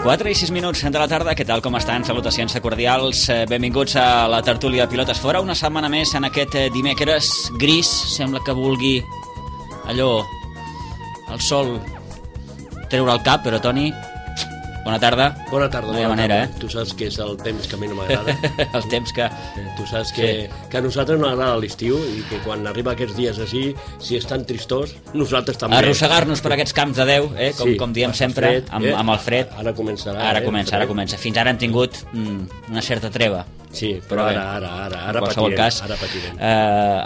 Quatre i 6 minuts de la tarda, què tal, com estan? Salutacions cordials, benvinguts a la tertúlia Pilotes Fora, una setmana més en aquest dimecres gris, sembla que vulgui allò, el sol treure el cap, però Toni, bona tarda. Bona tarda. No hi ha manera, Tu saps que és el temps que a mi no m'agrada. El temps que... Tu saps que a nosaltres no agrada l'estiu i que quan arriba aquests dies així, si estan tristós, nosaltres també. Arrossegar-nos per aquests camps de Déu, com diem sempre, amb el fred. Ara començarà. Ara comença. Fins ara han tingut una certa treva. Sí, però ara patirem.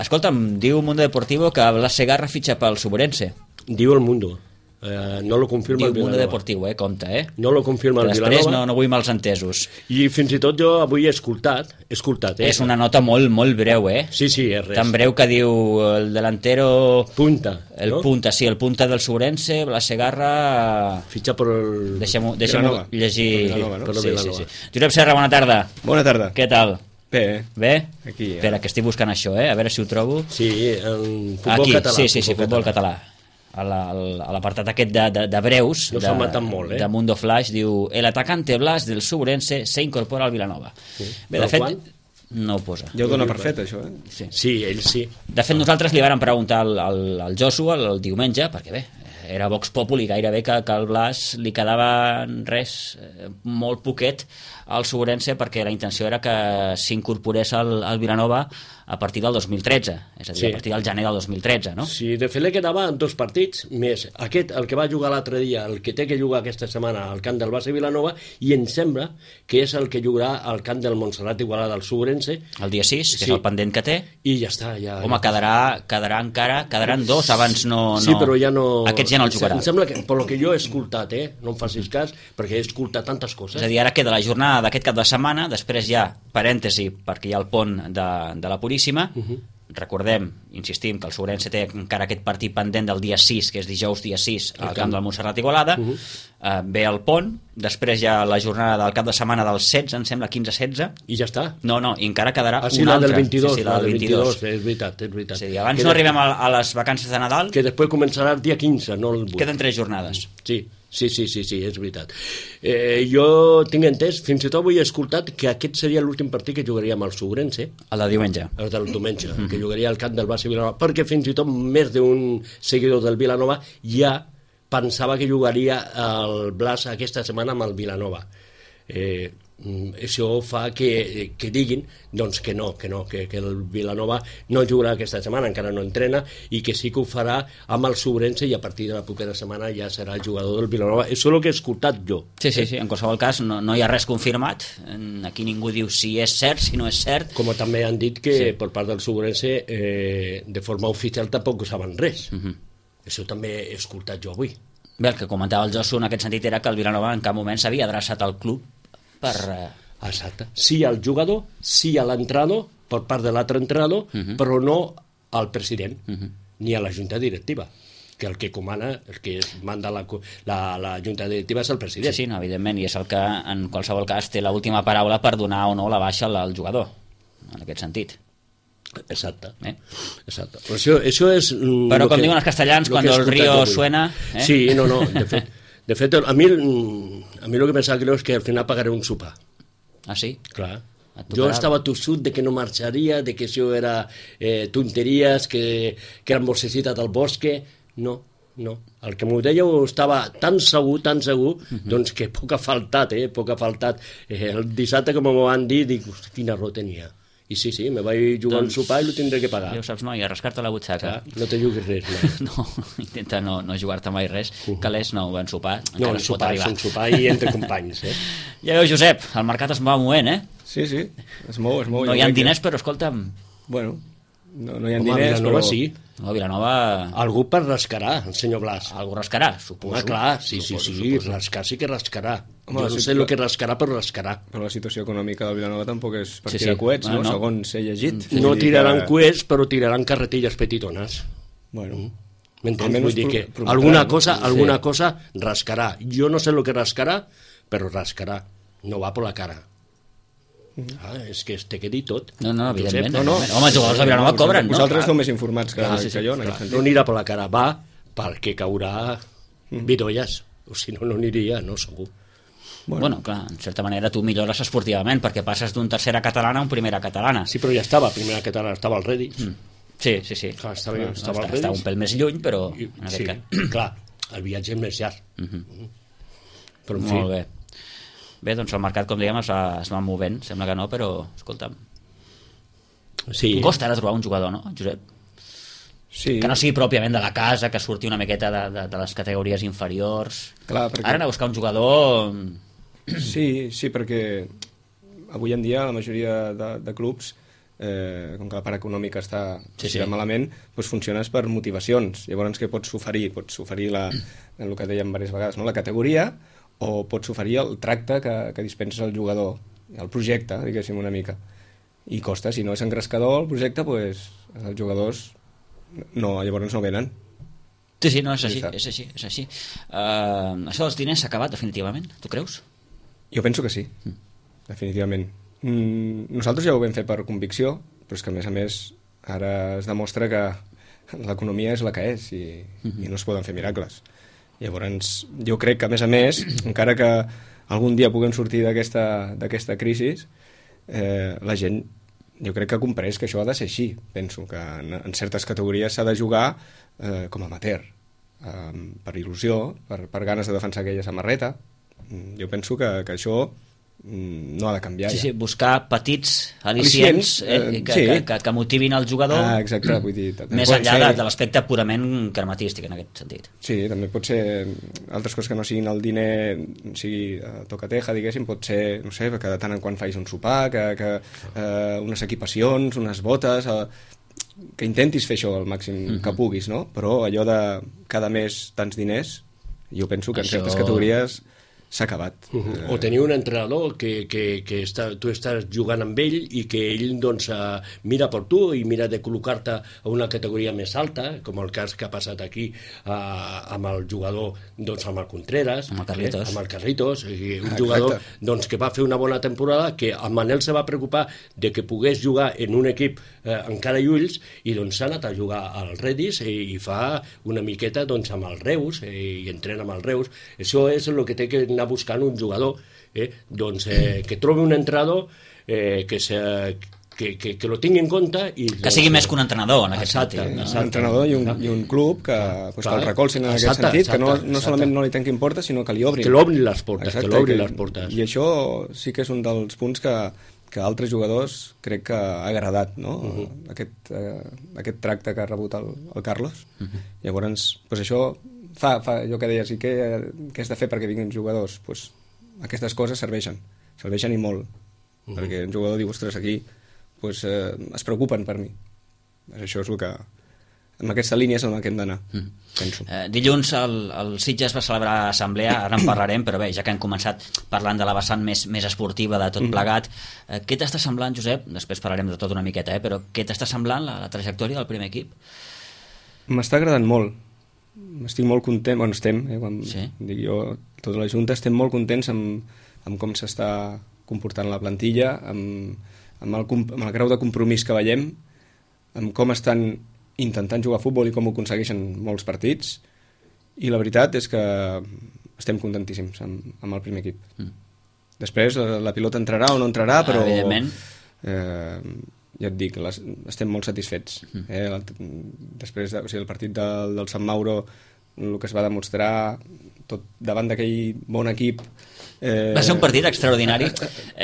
Escolta'm, diu Mundo Deportivo que Blas Segarra fitxa pel Suburense. Diu el Mundo. No lo confirma el Vilanova. Diu Mundo Deportivo, compte, No lo confirma el Vilanova. Després no vull mals entesos. I fins i tot jo avui he escoltat, És una nota molt breu, Sí, és res. Tan breu que diu el delantero... Punta, no? El punta del Suburense, Blas Segarra... Fitxa per el... Deixem-ho llegir... Vilanova, no? Sí. Josep Serra, bona tarda. Bona tarda. Què tal? Bé? Aquí, Espera, que estic buscant això, a veure si ho trobo. Sí, en futbol català. Sí, futbol català. A l'apartat aquest de breus de Mundo Flash diu: el atacante Blas del Suburense se incorpora al Vilanova. Bé, de fet, no ho posa. Ja ho dona per fet, això, Sí, ell sí. De fet, nosaltres li vàrem preguntar al Joshua el diumenge, perquè bé, era Vox Populi gairebé que al Blas li quedava molt poquet al Suburense, perquè la intenció era que s'incorporés al Vilanova a partir del 2013, és a dir, a partir del gener del 2013, no? Sí, de fet li quedaven 2 partits més. Aquest, el que va jugar l'altre dia, el que té que jugar aquesta setmana al camp del Barça Vilanova, i em sembla que és el que jugarà al camp del Montserrat Igualada al Suburense. El dia 6, que és el pendent que té. I ja està. Home, quedaran 2, abans no... Sí, però ja no... Aquests ja no el jugarà. Em sembla que, per lo que jo he escoltat, no em facis cas, perquè he escoltat tantes coses. És a dir, ara queda la jornada d'aquest cap de setmana, després hi ha parèntesi, perquè hi ha el pont de la Puríssima. Recordem, insistim, que el Suburense té encara aquest partit pendent del dia 6, que és dijous dia 6, al camp del Montserrat Igualada. Ve el pont, després hi ha la jornada del cap de setmana del 16, em sembla, 15-16. I ja està? No, i encara quedarà una altra. Del 22, sí, la del 22. És veritat. Sí, abans no arribem a les vacances de Nadal. Que després començarà el dia 15, no el 8. Queden 3 jornades. Sí, és veritat. Jo tinc entès, fins i tot avui he escoltat que aquest seria l'últim partit que jugaríem al Suburense. El de diumenge. El del diumenge, que jugaria al camp del Barça Vilanova, perquè fins i tot més d'un seguidor del Vilanova ja pensava que jugaria el Blas aquesta setmana amb el Vilanova. Això fa que diguin doncs que el Vilanova no jugarà aquesta setmana, encara no entrena, i que sí que ho farà amb el Suburense, i a partir de la propera setmana ja serà el jugador del Vilanova. Això és el que he escoltat jo. Sí, en qualsevol cas no hi ha res confirmat, aquí ningú diu si és cert, si no és cert. Com també han dit que per part del Suburense de forma oficial tampoc saben res. Això també he escoltat jo avui. Bé, el que comentava el Josu en aquest sentit era que el Vilanova en cap moment s'havia adreçat al club per... Exacte. Sí al jugador, sí a l'entrenador, per part de l'altre entrenador, però no al president, ni a la junta directiva, que el que comana, el que manda la junta directiva és el president. Sí, no, evidentment, i és el que en qualsevol cas té l'última paraula per donar o no la baixa al jugador, en aquest sentit. Exacte. Però això és... Però com diuen els castellans, quan el río suena... Sí, no, de fet, a mi el que pensava que és que al final pagaré un sopar. Ah, sí? Clar. Jo estava tossut de que no marxaria, de que això era tonteries, que eren bossecites del bosque. No. El que m'ho dèieu estava tan segur, doncs que poc ha faltat, poc ha faltat. El dissabte, com m'ho van dir, dic, hosti, quina raó tenia. I sí, me vaig jugar un sopar i lo tindré que pagar. Ja ho saps, noi, a rascar-te la butxaca. No te juguis res, no. No, intenta no jugar-te mai res. Calés, no, un sopar. No, un sopar i entre companys, Ja veus, Josep, el mercat es va movent, Sí, es mou. No hi ha diners, però escolta'm... Bueno, no hi ha diners, Vilanova però... sí. No, Vilanova... Algú per rascarà, el senyor Blas. Algú rascarà, suposo. Home, clar, sí, rascar sí que rascarà. Jo no sé el que rascarà, però rascarà. Però la situació econòmica del Vilanova tampoc és per tirar coets, no? Segons he llegit. No tiraran coets, però tiraran carretilles petitones. Bueno... M'entens? Vull dir que alguna cosa rascarà. Jo no sé el que rascarà, però rascarà. No va per la cara. És que te quedi tot. No, evidentment. Home, els jugadors de Vilanova cobren, no? Vosaltres esteu més informats que jo, en aquest sentit. No anirà per la cara, va perquè caurà vidolles. O si no aniria, no, segur. Bueno, clar, en certa manera tu millores esportivament perquè passes d'un tercera catalana a un primera catalana. Sí, però ja estava, primera catalana, estava al Redis. Sí. Clar, estava al Redis. Estava un pèl més lluny, però en aquest cas. Clar, el viatge és més llarg. Però en fi. Molt bé. Bé, doncs el mercat, com dèiem, es va movent, sembla que no, però, escolta'm, costa ara trobar un jugador, no, Josep? Sí. Que no sigui pròpiament de la casa, que surti una miqueta de les categories inferiors. Clar, perquè... Ara anar a buscar un jugador... Sí, perquè avui en dia la majoria de clubs, com que la part econòmica està malament, doncs funciones per motivacions. Llavors, què pots oferir? Pots oferir el que dèiem diverses vegades, no? La categoria, o pots oferir el tracte que dispenses al jugador, el projecte, diguéssim, una mica. I costa, si no és engrescador el projecte, doncs els jugadors llavors no venen. Sí, no, és així. Això dels diners s'ha acabat definitivament, tu creus? Jo penso que sí, definitivament. Nosaltres ja ho vam fer per convicció, però és que a més ara es demostra que l'economia és la que és i no es poden fer miracles. Llavors, jo crec que, a més, encara que algun dia puguem sortir d'aquesta crisi, la gent, jo crec que ha comprès que això ha de ser així. Penso que en certes categories s'ha de jugar com a amateur, per il·lusió, per ganes de defensar aquella samarreta. Jo penso que això no ha de canviar. Sí, buscar petits al·licients que motivin el jugador, exacte, vull dir, més enllà de l'aspecte purament crematístic en aquest sentit. Sí, també pot ser altres coses que no siguin el diner, sigui tocateja, diguéssim, pot ser, no sé, que de tant en quan facis un sopar, que unes equipacions, unes botes, que intentis fer això el màxim que puguis, no? Però allò de cada mes tants diners, jo penso que en certes categories s'ha acabat. O tenir un entrenador que tu estàs jugant amb ell i que ell doncs mira per tu i mira de col·locar-te a una categoria més alta, com el cas que ha passat aquí amb el jugador, doncs amb el Contreras, amb el Carlitos, un jugador doncs, que va fer una bona temporada, que el Manel se va preocupar de que pogués jugar en un equip encara i ulls, i doncs s'ha anat a jugar al Redis i fa una miqueta doncs amb el Reus i entrena amb el Reus. Això és el que té que anar buscant un jugador, doncs que trobi un entrenador que lo tingui en compte i, que sigui més que un entrenador en aquest sentit, no? Un entrenador i un club que el recolzin en aquest sentit, que no solament no li tinguin portes, sinó que li obrin les portes. I això sí que és un dels punts que altres jugadors crec que ha agradat, no? Aquest tracte que ha rebut el Carlos. Llavors, doncs això fa allò que deies, i què has de fer perquè vinguin jugadors? Pues, aquestes coses serveixen i molt, perquè un jugador diu, ostres, aquí pues, es preocupen per mi. Això és el que, en aquesta línia és el que hem d'anar, penso. Dilluns el Sitges va celebrar assemblea, ara en parlarem, però bé, ja que hem començat parlant de la vessant més esportiva de tot plegat, què t'està semblant, Josep? Després parlarem de tot una miqueta, però què t'està semblant la trajectòria del primer equip? M'està agradant molt. Estic molt content, bueno, estem, dic jo, tota la Junta, estem molt contents amb com s'està comportant la plantilla, amb el grau de compromís que veiem, amb com estan intentant jugar a futbol i com ho aconsegueixen molts partits, i la veritat és que estem contentíssims amb el primer equip. Després la pilota entrarà o no entrarà, però evidentment. Ja et dic, estem molt satisfets. Després, o sigui, el partit del Sant Mauro, el que es va demostrar tot davant d'aquell bon equip, va ser un partit extraordinari.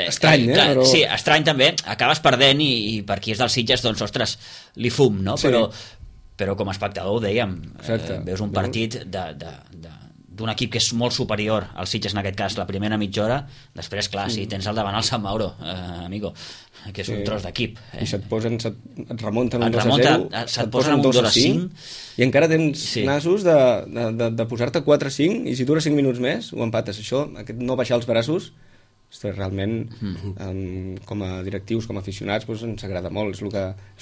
Estrany, clar, però... Sí, estrany també. Acabes perdent i per qui és dels Sitges, doncs, ostres, li fum, no? Sí. Però com a espectador ho dèiem, veus un partit d'un equip que és molt superior als Sitges, en aquest cas, la primera mitja hora. Després, clar, si tens al davant el Sant Mauro, amigo, que és un tros d'equip. I et remunten un 2-0, se't posen un 2-5, i encara tens nassos de posar-te 4-5, i si dura 5 minuts més, ho empates. Això, no baixar els braços, realment, com a directius, com a aficionats, doncs ens agrada molt, és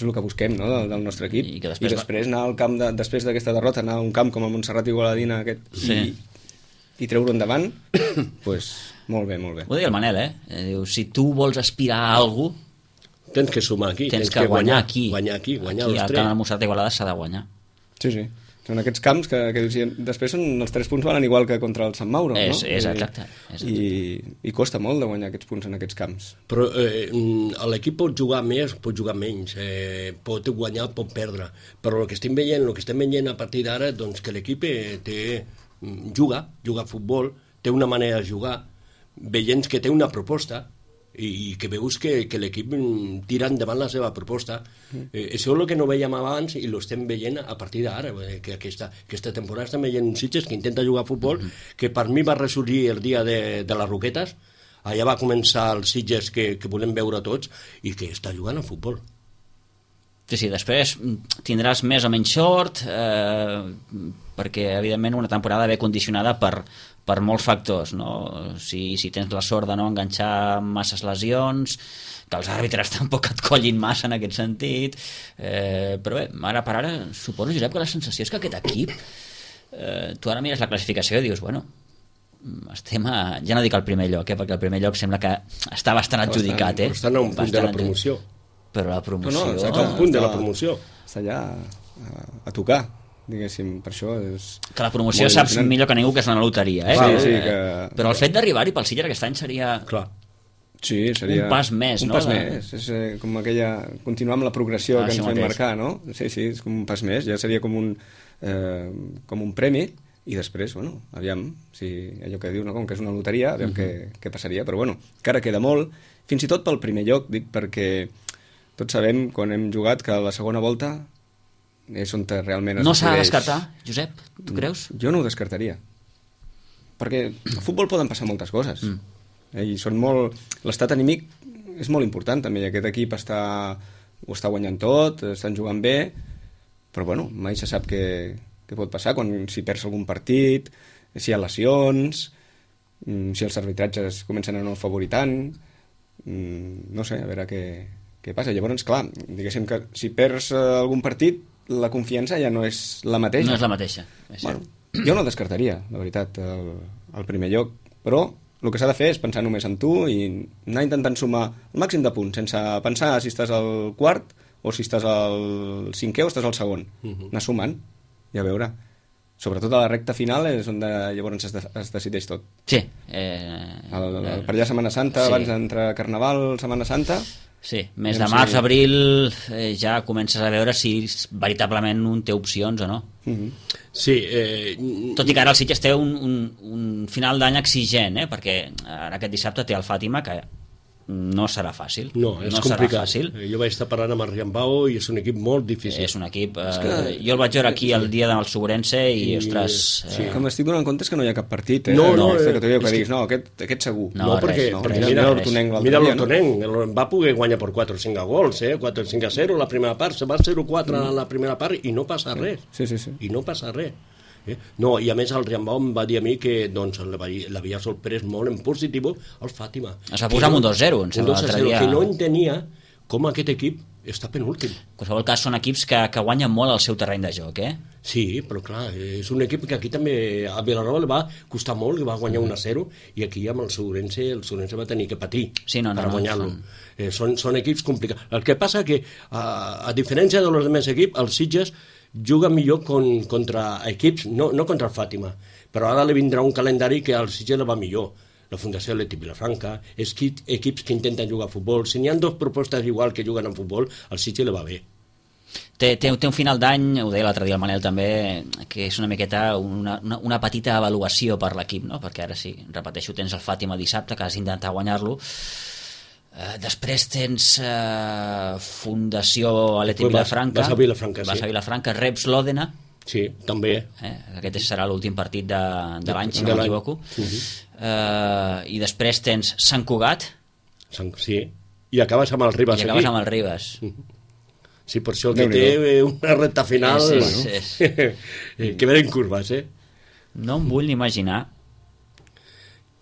el que busquem, no?, del nostre equip. I després anar al camp, després d'aquesta derrota, anar a un camp com a Montserrat i Gualadina i treure endavant, doncs molt bé, molt bé. Ho deia el Manel, diu, si tu vols aspirar a alguna cosa, tens que sumar aquí, tens que guanyar aquí. Guanyar aquí, guanyar els 3. Al camp de Montserrat i Igualada s'ha de guanyar. Sí. Són aquests camps que després els 3 punts valen igual que contra el Sant Mauro, no? És exacte. I costa molt de guanyar aquests punts en aquests camps. Però l'equip pot jugar més, pot jugar menys, pot guanyar, pot perdre. Però el que estem veient a partir d'ara, doncs que l'equip juga a futbol, té una manera de jugar, veient que té una proposta, i que veus que l'equip tira endavant la seva proposta. Això és el que no veiem abans i l'estem veient a partir d'ara, que aquesta temporada estem veient un Sitges que intenta jugar a futbol, que per mi va ressorgir el dia de les Roquetes, allà va començar el Sitges que volem veure tots i que està jugant a futbol. Sí, després tindràs més o menys sort, perquè evidentment una temporada ve condicionada per molts factors, no? Si tens la sort de no enganxar masses lesions, que els àrbitres tampoc et collin massa en aquest sentit, però bé, ara per ara suposo, Josep, que la sensació és que aquest equip, tu ara mires la classificació i dius, bueno, estem ja no dic al primer lloc, perquè el primer lloc sembla que està bastant adjudicat, però estan a un punt de la promoció. Però la promoció... No, està a un punt de la promoció. Està allà a tocar, diguéssim, per això és... Que la promoció saps millor que ningú que és una loteria, Sí, que... Però el fet d'arribar-hi pel Sitges aquest any seria... Clar. Sí, seria... Un pas més, un no? pas més, és com aquella... Continuar amb la progressió que ens vam marcar, no? Sí, és com un pas més, ja seria com un premi, i després, bueno, aviam, allò que dius, no? Com que és una loteria, aviam què passaria, però bueno, encara queda molt, fins i tot pel primer lloc, dic, perquè tots sabem, quan hem jugat, que la segona volta és on realment es no s'ha de decideix. descartar, Josep, tu creus? Jo no ho descartaria, perquè al futbol poden passar moltes coses, i són molt... L'estat anímic és molt important també, i aquest equip ho està guanyant tot, estan jugant bé, però bueno, mai se sap què pot passar si perds algun partit, si hi ha lesions, si els arbitratges comencen a no favorir tant, no sé, a veure què passa. Llavors, clar, diguéssim que si perds algun partit, la confiança ja no és la mateixa. No és la mateixa. Bueno, jo no descartaria, la veritat, el primer lloc, però el que s'ha de fer és pensar només en tu i anar intentant sumar el màxim de punts, sense pensar si estàs al quart o si estàs al cinquè o estàs al segon. Anar sumant i a veure. Sobretot a la recta final és on llavors es decideix tot. Sí. Per allà Setmana Santa, abans d'entrar Carnaval, Setmana Santa... Sí, mes de març, abril, ja comences a veure si veritablement un té opcions o no. Sí. Tot i que ara el Sitges té un final d'any exigent, perquè ara aquest dissabte té el Fàtima, que no serà fàcil. No, és complicat. Jo vaig estar parlant amb el Riambao i és un equip molt difícil. És un equip... jo el vaig veure aquí el dia del Sobrense i ostres... Sí. Com estic donant compte és que no hi ha cap partit. No, que tu diguis, no, aquest segur. No, perquè mira l'Hortonenc, va poder guanyar per 4 o 5 gols, 4 o 5 a 0 la primera part, se va 0-4 a la primera part i no passa res. Sí. I no passa res. No, i a més el Riambau em va dir a mi que doncs, l'havia sorprès molt en positiu el Fàtima. Es va posar amb un 2-0, em sembla, l'altre dia. Que no entenia com aquest equip està penúltim. En qualsevol cas són equips que guanyen molt el seu terreny de joc, Sí, però clar, és un equip que aquí també a Vilanova li va costar molt, que va guanyar 1-0, i aquí amb el Sobrense va tenir que patir per guanyar-lo. Són equips complicats. El que passa que, a diferència dels altres equips, els Sitges juga millor contra equips, no contra el Fàtima, però ara li vindrà un calendari que al Sitges li va millor. la Fundació Leti Vilafranca, equips que intenten jugar a futbol. Si n'hi ha dues propostes igual que juguen a futbol, al Sitges li va bé. Té un final d'any, ho deia l'altre dia el Manel també, que és una miqueta una petita avaluació per l'equip, no? Perquè ara sí, repeteixo, tens el Fàtima dissabte, que has d'intentar guanyar-lo. Després tens Fundació Atleti Vilafranca. Vas a Vilafranca, sí. Vas a Vilafranca, reps l'Òdena. Sí, també. Aquest serà l'últim partit de l'any, si no m'equivoco. I després tens Sant Cugat. Sí, i acabes amb el Ribas. I acabes amb el Ribas. Sí, per això que té una recta final que venen curves, No em vull ni imaginar.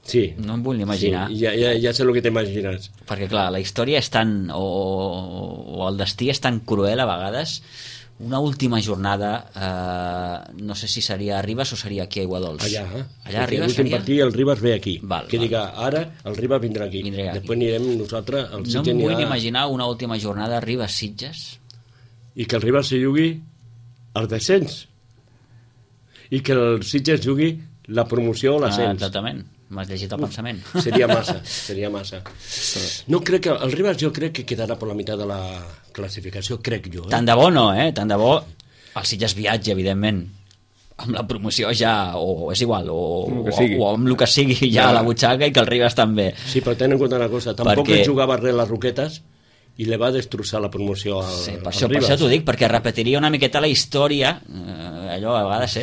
Sí. No em vull ni imaginar. Sí, ja sé el que t'imagines. Perquè, clar, la història és tan... o el destí és tan cruel a vegades. Una última jornada, no sé si seria a Ribas o seria aquí a Aiguadols. Allà a Ribas l'últim partit el Ribas ve aquí. Val. Diga, ara el Ribas vindrà aquí. Després anirem nosaltres al Sitges. No em vull ni imaginar una última jornada Ribas-Sitges. I que el Ribas se jugui al descens. I que el Sitges jugui la promoció o l'ascens. Exactament. M'has llegit el pensament. Seria massa. No crec que... El Ribas jo crec que quedarà per la meitat de la classificació, crec jo. Tant de bo no, Tant de bo el Sitges viatge, evidentment. Amb la promoció ja, o és igual, o amb el que sigui ja a la butxaca i que el Ribas també. Sí, però ten en compte una cosa, tampoc ell jugava res les Roquetes i li va destrossar la promoció al Ribas. Per això t'ho dic, perquè repetiria una miqueta la història, allò a vegades,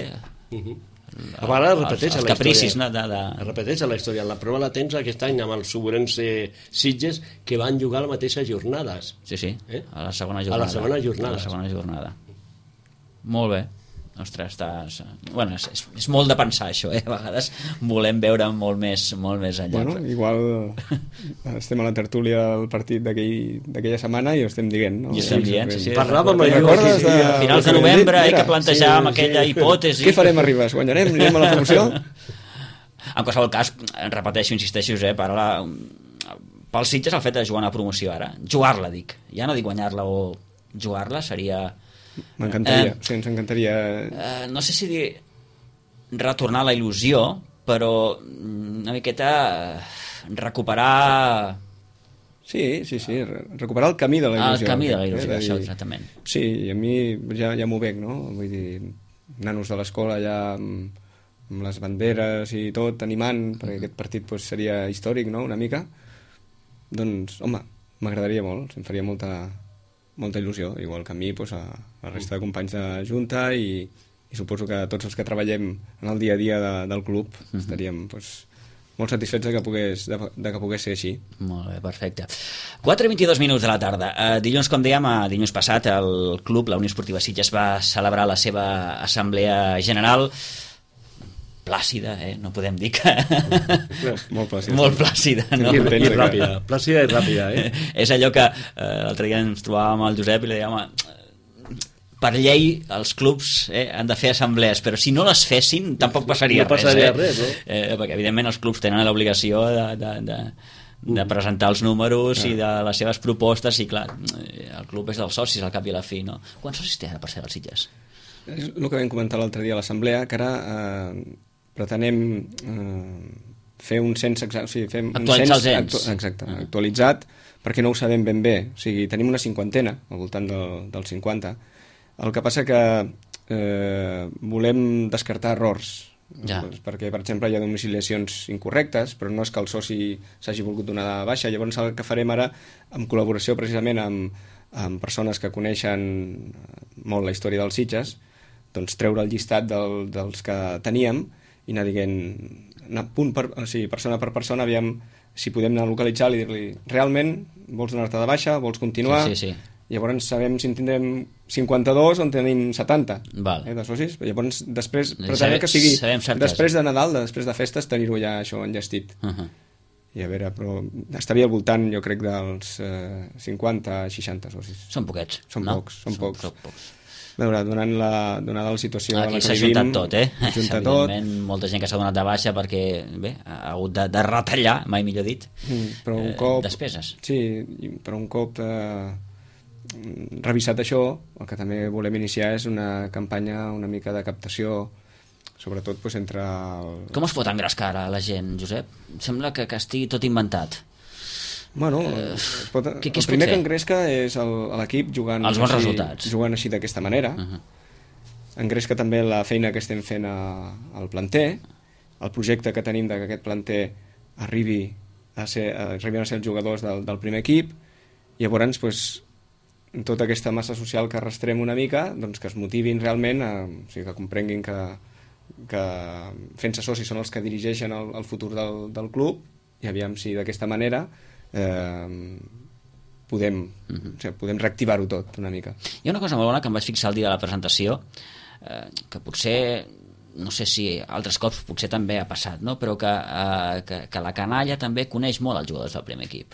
A vegades repeteix els la capricis, història. Es repeteix la història. La prova la tens aquest any amb els Sobrense Sitges que van jugar a les mateixes jornades. Sí, a la segona jornada. A la segona jornada. Molt bé. Ostres, bueno, és molt de pensar això, a vegades volem veure molt més enllà. Bueno, igual estem a la tertúlia del partit d'aquella setmana i ho estem dient, no? I estem dient, sí. Parlàvem a finals de novembre que plantejàvem aquella hipòtesi. Què farem a Ribas? Guanyarem? Anirem a la promoció? En qualsevol cas, repeteixo, insisteixo, pel Sitges el fet de jugar una promoció ara, jugar-la dic, ja no dic guanyar-la o jugar-la seria... M'encantaria, ens encantaria... No sé si dir retornar a la il·lusió, però una miqueta recuperar... Sí, recuperar el camí de la il·lusió. El camí de la il·lusió, això, exactament. Sí, i a mi ja m'ho veig, no? Vull dir, nanos de l'escola ja amb les banderes i tot, animant, perquè aquest partit seria històric, no?, una mica. Doncs, home, m'agradaria molt, em faria molta il·lusió, igual que a mi, a la resta de companys de Junta i suposo que tots els que treballem en el dia a dia del club estaríem molt satisfets de que pogués ser així. Molt bé, perfecte. 4:22 minuts de la tarda. Dilluns, com dèiem, dilluns passat el club, la Unió Esportiva Sitges, va celebrar la seva assemblea general plàcida, no podem dir que... Molt plàcida. Molt plàcida, no? I ràpida, plàcida i ràpida, És allò que l'altre dia ens trobàvem al Josep i li dèiem, per llei els clubs han de fer assemblees, però si no les fessin tampoc passaria res. No passaria res, no? Perquè evidentment els clubs tenen l'obligació de presentar els números i de les seves propostes i clar, el club és dels socis al cap i a la fi, no? Quants socis té ara per ser els Sitges? És el que vam comentar l'altre dia a l'assemblea, que ara pretenem fer un cens, actualitzar els ens. Exacte, actualitzat, perquè no ho sabem ben bé. O sigui, tenim una cinquantena, al voltant dels 50. El que passa que volem descartar errors, perquè, per exemple, hi ha domiciliacions incorrectes, però no és que el soci s'hagi volgut donar de baixa. Llavors el que farem ara, en col·laboració precisament amb persones que coneixen molt la història dels Sitges, doncs treure el llistat dels que teníem i anar dient, persona per persona, aviam si podem anar a localitzar i dir-li, realment vols donar-te de baixa, vols continuar? Sí. Llavors sabem si en tindrem 52 o en tenim 70 de socis. Llavors després pretenem que sigui després de Nadal, després de festes, tenir-ho ja això enllestit. I a veure, però estaria al voltant, jo crec, dels 50-60 socis. Són poquets, Són pocs. A veure, donada la situació aquí en la s'ha que vivim... Juntat tot, evidentment, molta gent que s'ha donat de baixa perquè ha hagut de retallar, mai millor dit, però un cop, despeses. Sí, però un cop revisat això, el que també volem iniciar és una campanya una mica de captació sobretot doncs, entre... Com es pot engrescar ara la gent, Josep? Sembla que estigui tot inventat. Bueno, què el primer que engresca és l'equip jugant els bons resultats. Jugant així d'aquesta manera. Engresca també la feina que estem fent al planter, el projecte que tenim que aquest planter arribin a ser els jugadors del primer equip. Llavors, doncs, tota aquesta massa social que arrastrem una mica, doncs que es motivin realment, o sigui, que comprenguin que fent-se socis són els que dirigeixen el futur del club, i aviam si d'aquesta manera podem reactivar-ho tot una mica. Hi ha una cosa molt bona que em vaig fixar el dia de la presentació, que potser, no sé si altres cops potser també ha passat, no? Però que la canalla també coneix molt els jugadors del primer equip.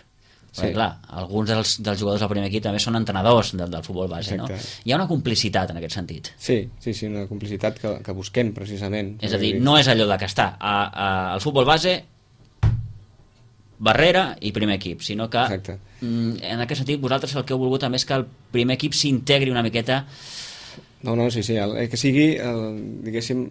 Perquè, clar, alguns dels jugadors del primer equip també són entrenadors del futbol base. Exacte. No? Hi ha una complicitat en aquest sentit. Sí, una complicitat que busquem precisament. És a dir, no és allò que està al futbol base, barrera i primer equip, sinó que en aquest sentit vosaltres el que heu volgut també és que el primer equip s'integri una miqueta. No, sí, que sigui diguéssim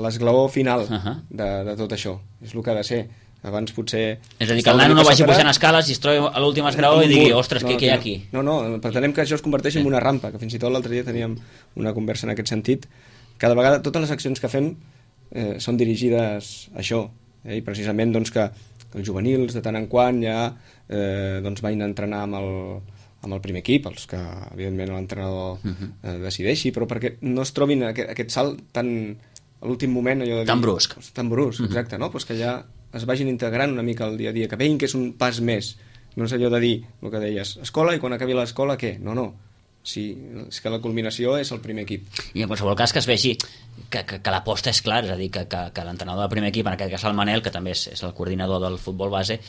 l'esglaó final de tot això, és el que ha de ser. Abans potser... És a dir, que el nano no vagi pujant escales i es trobi a l'últim esglaó i digui, ostres, què hi ha aquí? No, pretenem que això es converteixi en una rampa, que fins i tot l'altre dia teníem una conversa en aquest sentit. Cada vegada totes les accions que fem són dirigides a això, i precisament doncs, que els juvenils de tant en quant ja vagin a entrenar amb el primer equip, els que evidentment l'entrenador decideixi, però perquè no es trobin aquest salt tan a l'últim moment, allò de dir, tan brusc, exacte, no? Pues que ja es vagin integrant una mica al dia a dia, que veïn que és un pas més, no és allò de dir el que deies, escola, i quan acabi l'escola què? No, sí, és que la culminació és el primer equip. I en qualsevol cas que es vegi que l'aposta és clara, és a dir, que l'entrenador del primer equip, en aquest cas el Manel, que també és el coordinador del futbol base,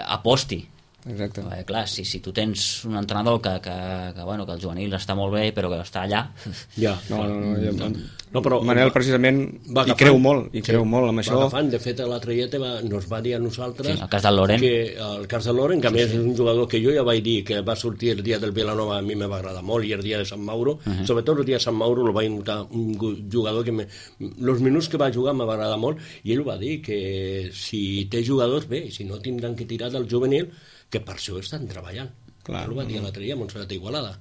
aposti. Exacte. Clar, si tu tens un entrenador que el juvenil està molt bé però que està allà... però Manel precisament hi creu molt amb això. De fet, l'altre dia nos va dir a nosaltres el cas del Loren, el cas del Loren, que a més és un jugador que jo ja vaig dir que va sortir el dia del Vilanova, a mi me va agradar molt, i el dia de Sant Mauro, sobretot el dia de Sant Mauro el vaig notar un jugador que els minuts que va jugar me va agradar molt, i ell va dir que si té jugadors bé, si no tindran que tirar del juvenil, que per això estan treballant. Clar, ho va dir l'altre dia, Montserrat Igualada.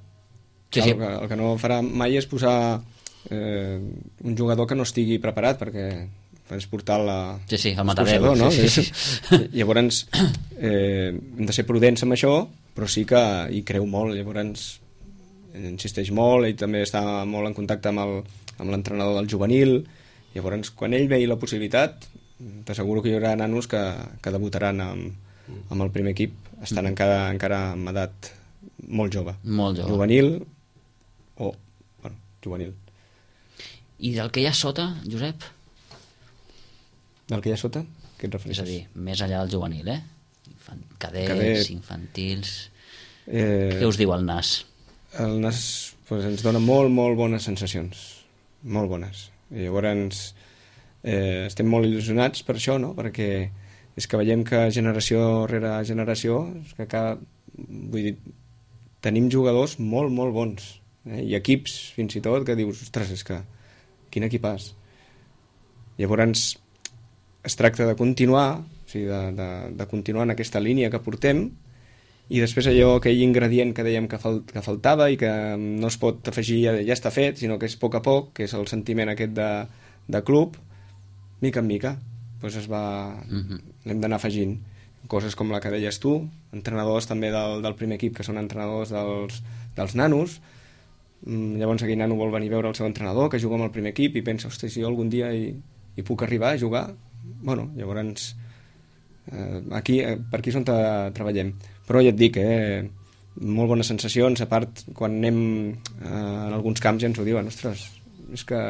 Sí. El que no farà mai és posar un jugador que no estigui preparat, perquè és portar el matadero, no? Llavors hem de ser prudents amb això, però sí que hi creu molt, llavors insisteix molt, ell també està molt en contacte amb l'entrenador del juvenil, llavors quan ell vegi la possibilitat t'asseguro que hi haurà nanos que debutaran amb el primer equip, estan encara amb edat molt jove. Juvenil o... juvenil. I del que hi ha sota, Josep? Del que hi ha sota? Què et refereixes? És a dir, més enllà del juvenil, cadets, infantils... Què us diu el NAS? El NAS ens dona molt bones sensacions. Molt bones. I llavors estem molt il·lusionats per això, no? Perquè és que veiem que generació rere generació tenim jugadors molt bons, i equips fins i tot que dius, ostres, és que quin equipàs. Llavors es tracta de continuar, o sigui, de continuar en aquesta línia que portem, i després aquell ingredient que dèiem que faltava i que no es pot afegir ja està fet, sinó que és a poc, que és el sentiment aquest de club, mica en mica doncs l'hem d'anar afegint coses com la que deies tu, entrenadors també del primer equip que són entrenadors dels nanos. Llavors aquell nano vol venir a veure el seu entrenador que juga amb el primer equip i pensa, hosti, si jo algun dia hi puc arribar a jugar, llavors per aquí és on treballem, però ja et dic, molt bones sensacions, a part quan anem en alguns camps ja ens ho diuen, ostres, és que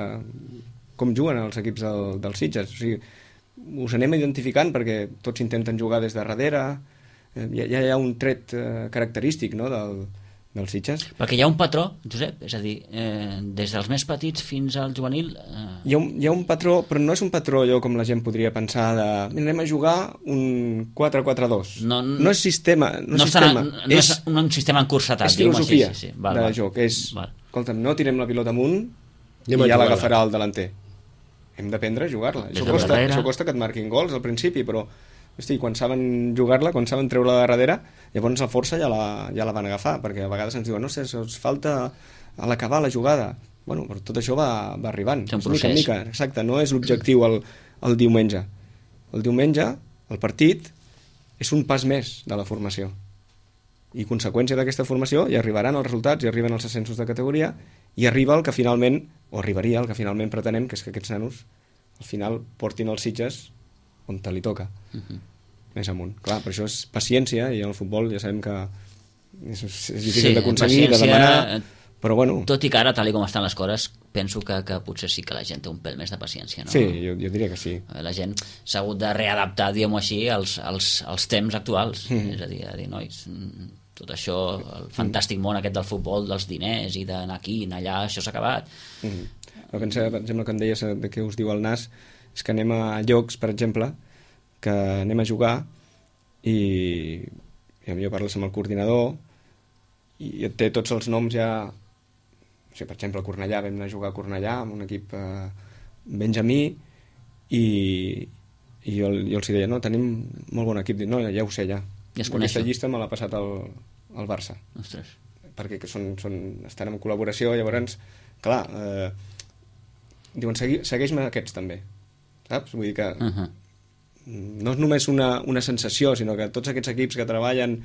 com juguen els equips dels Sitges, o sigui, us anem identificant perquè tots intenten jugar des de darrere, ja hi ha un tret característic, no, dels Sitges. Perquè hi ha un patró, Josep, és a dir, des dels més petits fins al juvenil... Hi ha un patró, però no és un patró allò com la gent podria pensar de anem a jugar un 4-4-2. No és sistema. No és un sistema encursetat. És filosofia de joc. Escolta'm, no tirem la pilota amunt i ja l'agafarà el delanter. hem d'aprendre a jugar-la. Des de darrere. Això costa que et marquin gols al principi, però hosti, quan saben jugar-la, quan saben treure-la de darrere, llavors la força ja la van agafar, perquè a vegades ens diuen, no sé, us falta a l'acabar la jugada. Bueno, però tot això va arribant. És un procés. Mica. Exacte, no és l'objectiu el diumenge. El diumenge, el partit, és un pas més de la formació. I conseqüència d'aquesta formació hi arribaran els resultats, hi arriben els ascensos de categoria, i arriba el que finalment, o arribaria el que finalment pretenem, que és que aquests nanos al final portin els Sitges on te li toca, més amunt. Clar, per això és paciència, i en el futbol ja sabem que és difícil d'aconseguir, de demanar, però bueno... Tot i que ara, tal com estan les coses, penso que potser sí que la gent té un pèl més de paciència, no? Sí, jo diria que sí. La gent s'ha hagut de readaptar, diguem-ho així, als temps actuals. És a dir, nois, tot això, el fantàstic món aquest del futbol, dels diners i d'anar aquí, anar allà, això s'ha acabat. Per exemple, que em deies de què us diu el nas, és que anem a llocs, per exemple, que anem a jugar i potser parles amb el coordinador i et té tots els noms ja... O sigui, per exemple, a Cornellà, vam anar a jugar a Cornellà amb un equip benjamí i jo els deia, no, tenim molt bon equip. Dic, no, ja ho sé, ja. Ja es coneixen. Aquesta llista me l'ha passat el Barça. Ostres. Perquè estan en col·laboració, llavors, clar, diuen, segueix-me aquests també, saps? Vull dir que no és només una sensació, sinó que tots aquests equips que treballen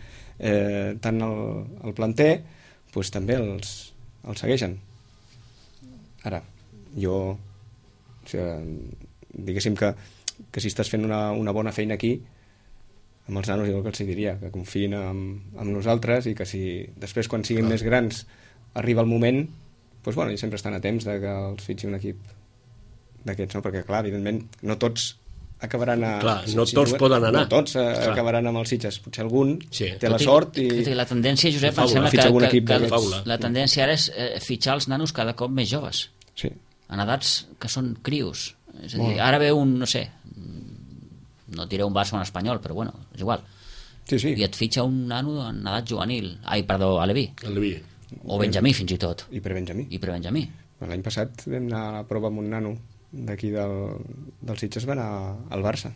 tant el planter, doncs també els segueixen. Ara, jo, o sigui, diguéssim que si estàs fent una bona feina aquí, amb els nanos jo el que els diria, que confiïn amb nosaltres i que si després quan siguin més grans arriba el moment, doncs bueno, ells sempre estan a temps de que els fitxi un equip d'aquests, no? Perquè clar, evidentment no tots acabaran a... Clar, no tots poden anar. No tots acabaran amb els Sitges, potser algun té la Tot sort i... La tendència, Josep, em sembla que la tendència ara és fitxar els nanos cada cop més joves. Sí. En edats que són crios. És a dir, ara ve un, no sé, no diré un Barça o un Espanyol, però bueno, és igual. Sí. I et fitxa un nano en edat juvenil. Aleví. Aleví. O Benjamí, fins i tot. I prebenjamí. L'any passat vam anar a la prova amb un nano d'aquí del Sitges, va anar al Barça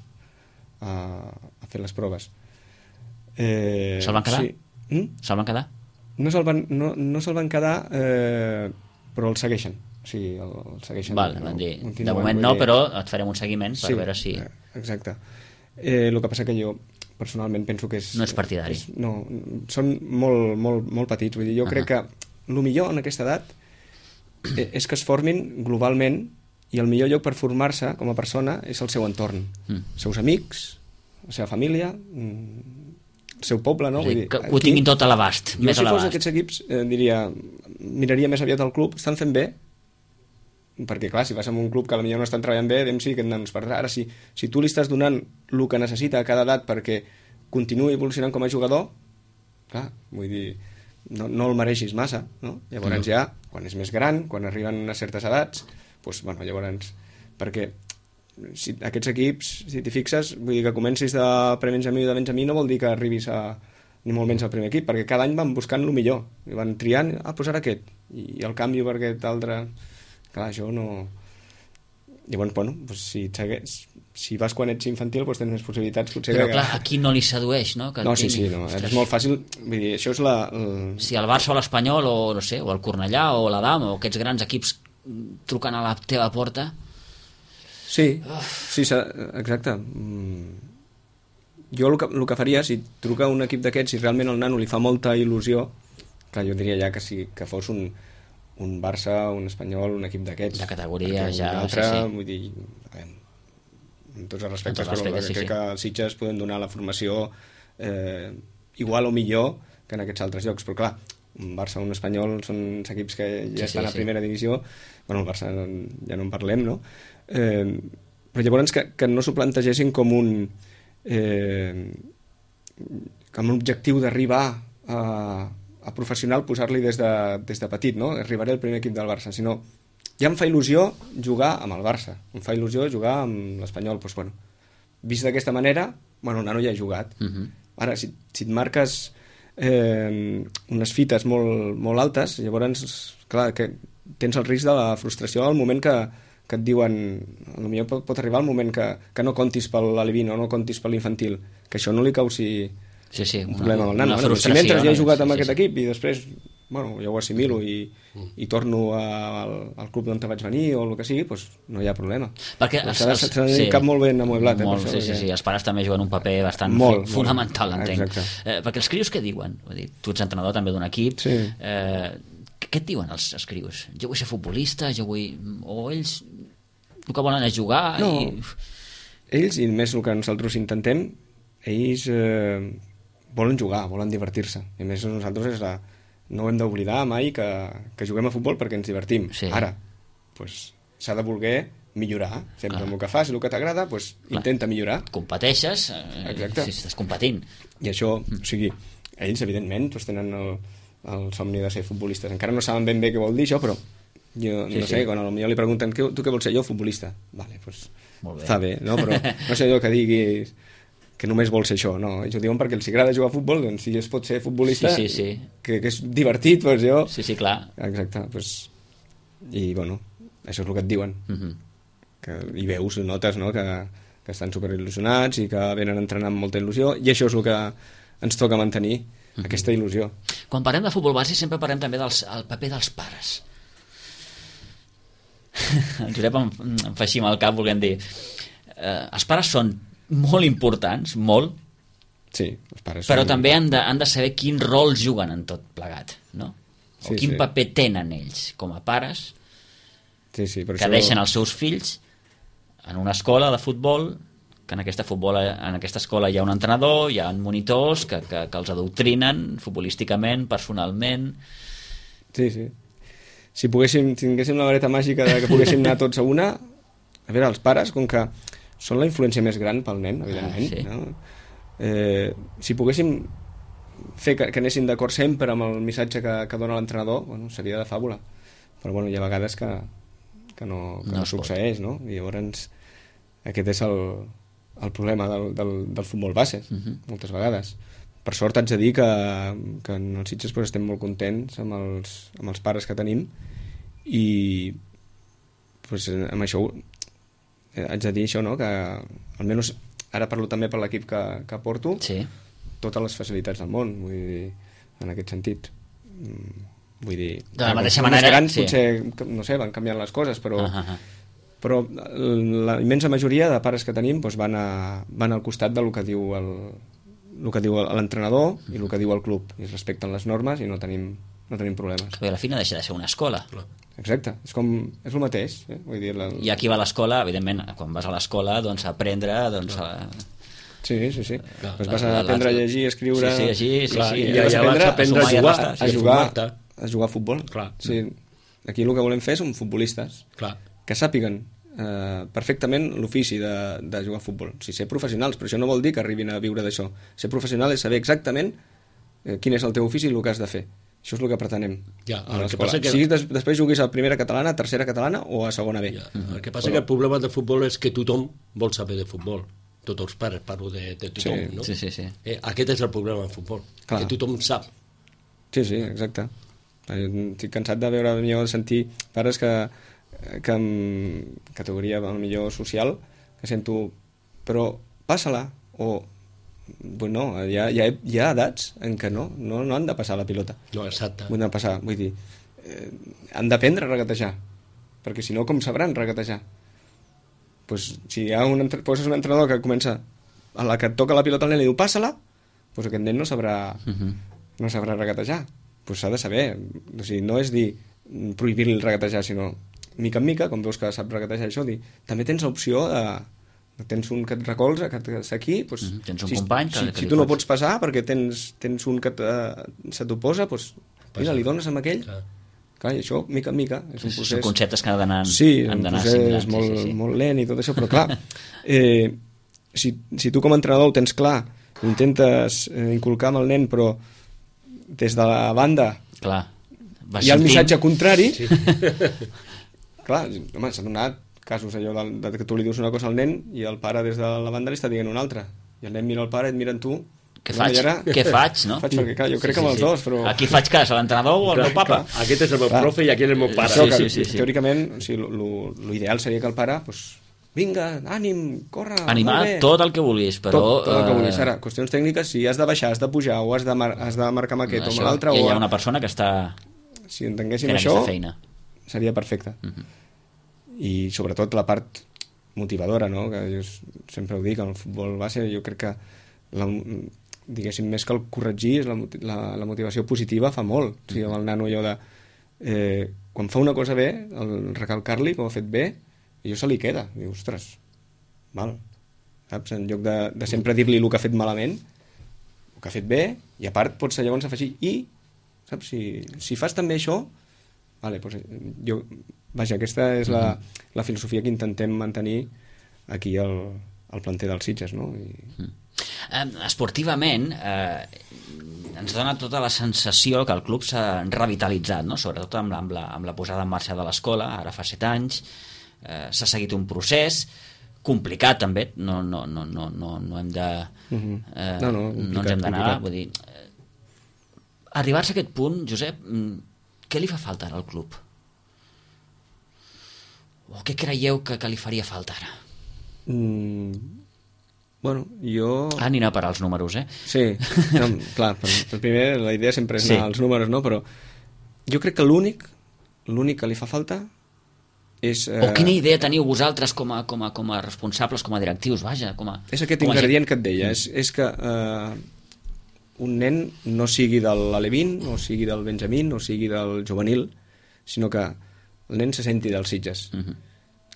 a fer les proves. Se'l van quedar? Sí. Se'l van quedar? No se'l van quedar, però el segueixen. O sigui, el segueixen. Val, van dir, de moment no, però et farem un seguiment per veure si... Exacte. El que passa que jo personalment penso que és... No és partidari. No, són molt, molt, molt petits. Vull dir, jo crec que el millor en aquesta edat és que es formin globalment, i el millor lloc per formar-se com a persona és el seu entorn. Els seus amics, la seva família, el seu poble, no? Vull dir, que ho tinguin tot a l'abast. Jo, si fos aquests equips, miraria més aviat el club, estan fent bé, perquè clar, si vas a un club que potser no estan treballant bé, sí que ens perdrà. Ara, si tu li estàs donant el que necessita a cada edat perquè continuï evolucionant com a jugador, clar, vull dir, no el mereixis massa, no? Llavors ja, quan és més gran, quan arriben a certes edats, doncs, bueno, llavors, perquè si aquests equips, si t'hi fixes, vull dir que comencis de prebenjamí o de benjamí no vol dir que arribis ni molt menys al primer equip, perquè cada any van buscant el millor, i van triant, doncs ara aquest, i el canvi per aquest altre, clar, això no... Llavors, bueno, doncs si vas quan ets infantil, doncs tens més possibilitats, potser... Però clar, aquí no li sedueix, no? Que no, sí, no, és molt fàcil, vull dir, això és Si el Barça o l'Espanyol, o no sé, o el Cornellà, o l'Adam, o aquests grans equips trucant a la teva porta. Sí, exacte. Jo el que faria, si truca un equip d'aquests, si realment el nano li fa molta il·lusió, clar, jo diria ja que fos un Barça, un Espanyol, un equip d'aquests. De categoria, ja... Un altre, vull dir, amb tots els respectes, però crec que els Sitges poden donar la formació igual o millor que en aquests altres llocs, però clar, un Barça o un Espanyol són equips que ja estan a primera divisió, bueno, el Barça ja no en parlem, no? Però llavors que no s'ho plantegessin com un objectiu d'arribar a professional, posar-li des de petit, no? Arribaré al primer equip del Barça, sinó ja em fa il·lusió jugar amb el Barça, em fa il·lusió jugar amb l'Espanyol, doncs bueno, vist d'aquesta manera, bueno, el nano ja ha jugat. Ara, si et marques unes fites molt, molt altes, llavors, clar, que tens el risc de la frustració al moment que que et diuen, potser pot arribar el moment que no comptis per l'alevino, no comptis per l'infantil, que això no li causi un problema amb el nano. Si mentre ja he jugat amb aquest equip i després ja ho assimilo i torno al club d'on vaig venir o el que sigui, doncs no hi ha problema. Perquè s'ha de dir cap molt ben amueblat. Sí, els pares també juguen un paper bastant fonamental, entenc. Perquè els crios què diuen? Tu ets entrenador també d'un equip. Què et diuen els crios? Jo vull ser futbolista, o ells el que volen és jugar? Ells, i més el que nosaltres intentem, ells volen jugar, volen divertir-se. I més nosaltres no hem d'oblidar mai que juguem a futbol perquè ens divertim. Ara, s'ha de voler millorar. Sempre amb el que fas i el que t'agrada, intenta millorar. Competeixes si estàs competint. I això, o sigui, ells, evidentment, tenen el somni de ser futbolistes. Encara no saben ben bé què vol dir això, però jo no sé, quan potser li pregunten tu què vols ser? Jo, futbolista. Vale, doncs està bé, no? Però no sé jo que diguis que només vol ser això, no, ells ho diuen perquè els agrada jugar a futbol, doncs si es pot ser futbolista que és divertit, doncs jo... Sí, clar. Exacte, i bueno, això és el que et diuen. I veus, notes, no?, que estan superil·lusionats i que venen a entrenar amb molta il·lusió, i això és el que ens toca mantenir, aquesta il·lusió. Quan parlem de futbol base sempre parlem també del paper dels pares. El Josep em fa així amb el cap, volent dir els pares són molt importants, molt, sí, els pares però també han de saber quin rol juguen en tot plegat, no? O quin paper tenen ells com a pares que deixen els seus fills en una escola de futbol, que en aquesta escola hi ha un entrenador, hi ha monitors que els adoctrinen futbolísticament, personalment. Sí. Si tinguéssim la vareta màgica que poguéssim anar tots a una, a veure, els pares, com que són la influència més gran pel nen, evidentment, no? Si poguéssim fer que anessin d'acord sempre amb el missatge que dona l'entrenador, seria de fàbula, però hi ha vegades que no succeeix, no? I llavors aquest és el problema del futbol base, moltes vegades. Per sort haig de dir que en els Sitges estem molt contents amb els pares que tenim, i amb això haig de dir això, no?, que almenys ara parlo també per l'equip que porto, totes les facilitats del món, vull dir, en aquest sentit. Vull dir, de la mateixa manera, grans, potser, no sé, van canviant les coses, però la immensa majoria de pares que tenim van al costat del que diu l'entrenador i el que diu el club, i es respecten les normes i no tenim problemes. Que a la fi no deixa de ser una escola. Exacte, és el mateix. Vull dir, I aquí va a l'escola, evidentment, quan vas a l'escola, doncs a aprendre, Sí. Doncs vas a aprendre a llegir, a escriure... Sí. I allà vas aprendre a jugar a futbol. Aquí el que volem fer són futbolistes que sàpiguen perfectament l'ofici de jugar a futbol. Ser professionals, però això no vol dir que arribin a viure d'això. Ser professional és saber exactament quin és el teu ofici i el que has de fer. Això és el que pretenem a l'escola. Si després juguis a primera catalana, a tercera catalana o a segona B. El que passa que el problema del futbol és que tothom vol saber de futbol. Tots els pares, parlo de tothom, no? Sí. Aquest és el problema del futbol, que tothom sap. Sí, exacte. Estic cansat de veure, de sentir pares que en categoria millor social, que sento, però passa-la, o no, hi ha edats en què no han de passar la pilota. No, exacte. Vull dir, han d'aprendre a regatejar, perquè si no, com sabran regatejar? Si poses un entrenador que comença a la que et toca la pilota al nen i diu passa-la, doncs aquest nen no sabrà regatejar. S'ha de saber, o sigui, no és dir prohibir-li el regatejar, sinó mica en mica, com veus que sap regatejar això, dir, també tens l'opció tens un que et recolza, que està aquí, tens un company si tu no pots passar perquè tens un que se t'oposa, mira, li dones amb aquell. Clar, i això, mica en mica, és un procés... Són conceptes que han d'anar un procés molt lent i tot això, però clar, si tu com a entrenador ho tens clar, intentes inculcar amb el nen, però des de la banda hi ha el missatge contrari, clar, home, s'ha donat casos allò que tu li dius una cosa al nen i el pare des de la banda li està dient una altra, i el nen mira el pare, et mira en tu, què faig? Ara... Què faig, no? Faig perquè, clar, jo crec que amb els dos, però... Aquí faig cas, a l'entrenador o al meu papa? Aquest és el meu profe i aquell és el meu pare. Sí. Teòricament, o sigui, l'ideal seria que el pare, doncs, vinga, ànim, corre, animar tot el que vulguis, però... Tot el que vulguis. Ara, qüestions tècniques, si has de baixar, has de pujar, o has de marcar amb aquest o amb l'altre... Hi ha una persona que està si entenguéssim fent això, aquesta feina. Seria perfecte. I sobretot la part motivadora, no? Que jo sempre ho dic, el futbol base, jo crec que diguéssim, més que el corregir, la motivació positiva fa molt. O sigui, amb el nano allò de... quan fa una cosa bé, el recalcar-li que ho ha fet bé, i allò se li queda. Diu, ostres, mal. Saps? En lloc de sempre dir-li el que ha fet malament, el que ha fet bé, i a part pots llavors afegir, i, saps? Si fas també això, vale, doncs vaja, aquesta és la filosofia que intentem mantenir aquí al planter dels Sitges, no? Esportivament ens dona tota la sensació que el club s'ha revitalitzat, no? Sobretot amb la posada en marxa de l'escola, ara fa 7 anys, s'ha seguit un procés complicat també, no hem de no ens hem d'anar, vull dir, arribar-se a aquest punt, Josep, què li fa falta ara al club? O què creieu que li faria falta ara? Bueno, jo... Anirà per als números, Sí, no, clar, per primer la idea sempre és anar als números, no? Però jo crec que l'únic que li fa falta és... O quina idea teniu vosaltres com a responsables, com a directius, vaja, és aquest ingredient que et deia, és que un nen no sigui de l'Alevín, no sigui del Benjamín, no sigui del juvenil, sinó que el nen se senti dels Sitges.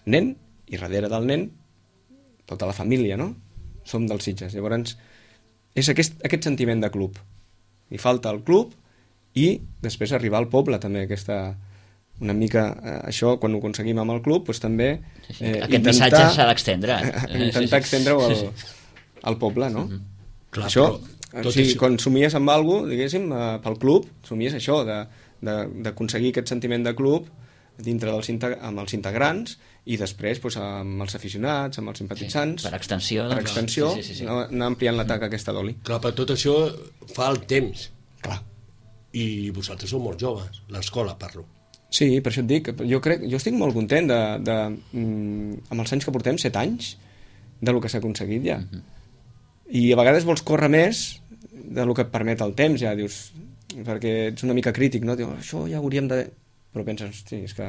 Nen, i darrere del nen, tota la família, no? Som dels Sitges. Llavors, és aquest sentiment de club. Li falta el club i després arribar al poble, també, una mica això, quan ho aconseguim amb el club, doncs també aquest missatge s'ha d'extendre. Intentar extendre-ho al poble, no? Clar, això, quan somies amb alguna cosa, diguéssim, pel club, somies això, d'aconseguir aquest sentiment de club dintre amb els integrants i després amb els aficionats, amb els simpatitzants. Per extensió. Anar ampliant la taca aquesta d'oli. Clar, per tot això fa el temps. Clar. I vosaltres sou molt joves, l'escola parlo. Sí, per això et dic, jo estic molt content amb els anys que portem, 7 anys, del que s'ha aconseguit ja. I a vegades vols córrer més del que et permet el temps, ja dius, perquè ets una mica crític, no? Dius, això ja hauríem de... Però penses, hosti, és que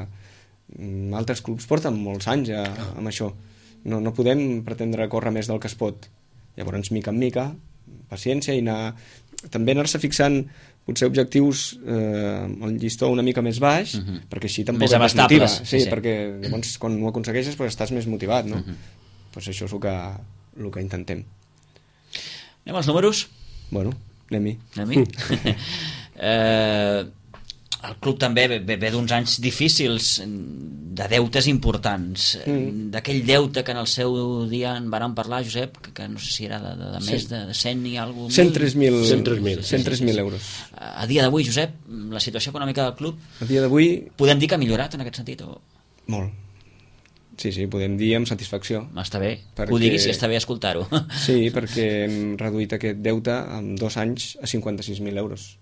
altres clubs porten molts anys ja amb això. No podem pretendre córrer més del que es pot. Llavors, mica en mica, paciència i també anar-se fixant potser objectius el llistó una mica més baix, perquè així tampoc més abastables. Sí, perquè llavors quan ho aconsegueixes estàs més motivat, no? Doncs això és el que intentem. Anem als números? Bueno, anem-hi. El club també ve d'uns anys difícils, de deutes importants, d'aquell deute que en el seu dia en vàrem parlar, Josep, que no sé si era de més de 100 i alguna cosa... 103.000 euros. A dia d'avui, Josep, la situació econòmica del club, a dia d'avui... podem dir que ha millorat en aquest sentit? Molt. Sí, podem dir amb satisfacció. Està bé, perquè... ho diguis, està bé escoltar-ho. Sí, perquè hem reduït aquest deute en 2 anys a 56.000 euros.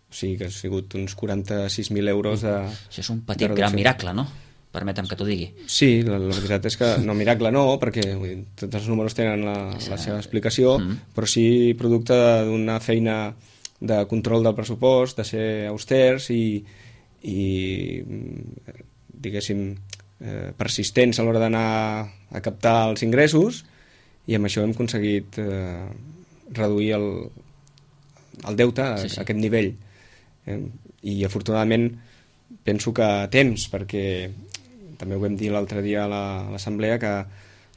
O sigui que ha sigut uns 46.000 euros de... Això és un petit gran miracle, no? Permetem que t'ho digui. Sí, la veritat és que no, miracle no, perquè tots els números tenen la seva explicació, però sí producte d'una feina de control del pressupost, de ser austers i diguéssim, persistents a l'hora d'anar a captar els ingressos, i amb això hem aconseguit reduir el deute a aquest nivell. I afortunadament penso que a temps, perquè també ho vam dir l'altre dia a l'assemblea, que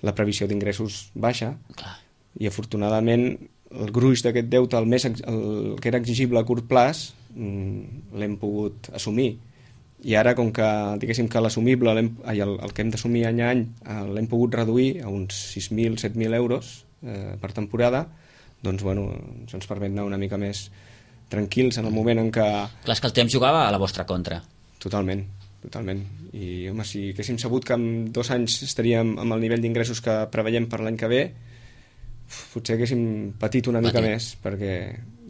la previsió d'ingressos baixa. Clar. I afortunadament el gruix d'aquest deute, el que era exigible a curt plaç, l'hem pogut assumir. I ara, com que diguéssim que l'assumible, el que hem d'assumir any a any, l'hem pogut reduir a uns 6.000, 7.000 euros per temporada, doncs bueno, això ens permet anar una mica més tranquils en el moment en què... Clar, és que el temps jugava a la vostra contra. Totalment. I, home, si haguéssim sabut que en 2 anys estaríem amb el nivell d'ingressos que preveiem per l'any que ve, potser haguéssim patit una mica més, perquè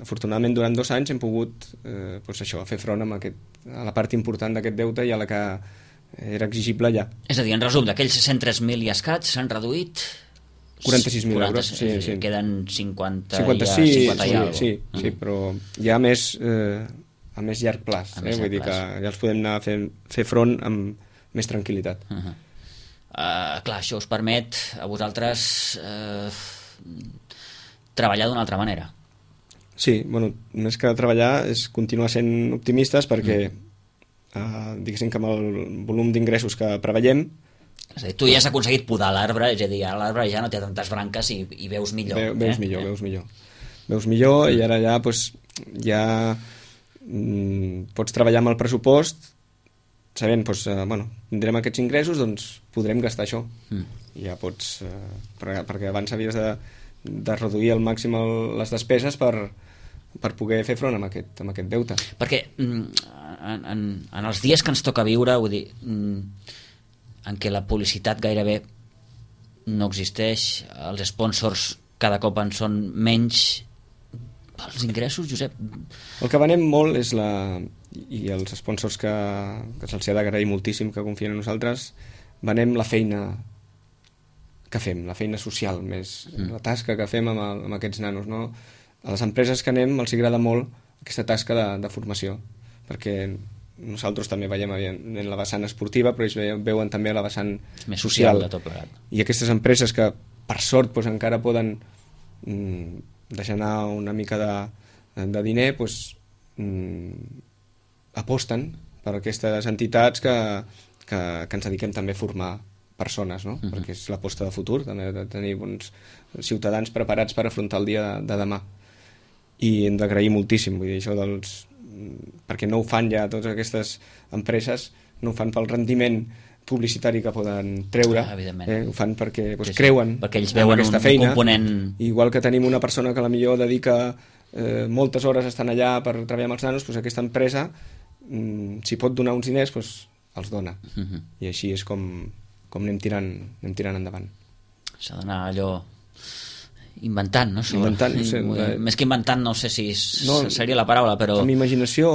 afortunadament durant 2 anys hem pogut doncs això, fer front a la part important d'aquest deute i a la que era exigible ja. És a dir, en resum, d'aquells 103.000 i escaig s'han reduït 46.000 euros, sí. Queden 50 56, i alguna cosa. Sí, però ja a més llarg plaç, vull dir que ja els podem anar a fer front amb més tranquil·litat. Clar, això us permet a vosaltres treballar d'una altra manera. Sí, bueno, més que treballar és continuar sent optimistes perquè diguéssim que amb el volum d'ingressos que preveiem, és a dir, tu ja has aconseguit podar l'arbre, és a dir, l'arbre ja no té tantes branques i veus millor. Veus millor i ara ja pots treballar amb el pressupost sabent, tindrem aquests ingressos, doncs podrem gastar això. I ja pots perquè abans havies de reduir al màxim les despeses per poder fer front amb aquest deute. Perquè en els dies que ens toca viure, vull dir, en què la publicitat gairebé no existeix, els sponsors cada cop en són menys, els ingressos, Josep? El que venem molt és i els sponsors que se'ls ha d'agrair moltíssim que confien en nosaltres, venem la feina que fem, la feina social més, la tasca que fem amb aquests nanos, no? A les empreses que anem els agrada molt aquesta tasca de formació, perquè nosaltres també veiem en la vessant esportiva, però ells veuen també la vessant més social de tot plegat. I aquestes empreses que per sort encara poden deixar anar una mica de diner, aposten per aquestes entitats que ens dediquem també a formar persones, no? Perquè és l'aposta de futur, també de tenir bons ciutadans preparats per afrontar el dia de demà. I hem d'agrair moltíssim, vull dir, això perquè no ho fan ja totes aquestes empreses, no ho fan pel rendiment publicitari que poden treure, ho fan perquè creuen perquè ells veuen aquesta feina, component... igual que tenim una persona que a la millor dedica moltes hores estan allà per treballar amb els nanos, aquesta empresa si pot donar uns diners els dona, i així és com anem tirant endavant. S'ha d'anar allò inventant, no? Més que inventant, no sé si seria la paraula, però... Amb imaginació,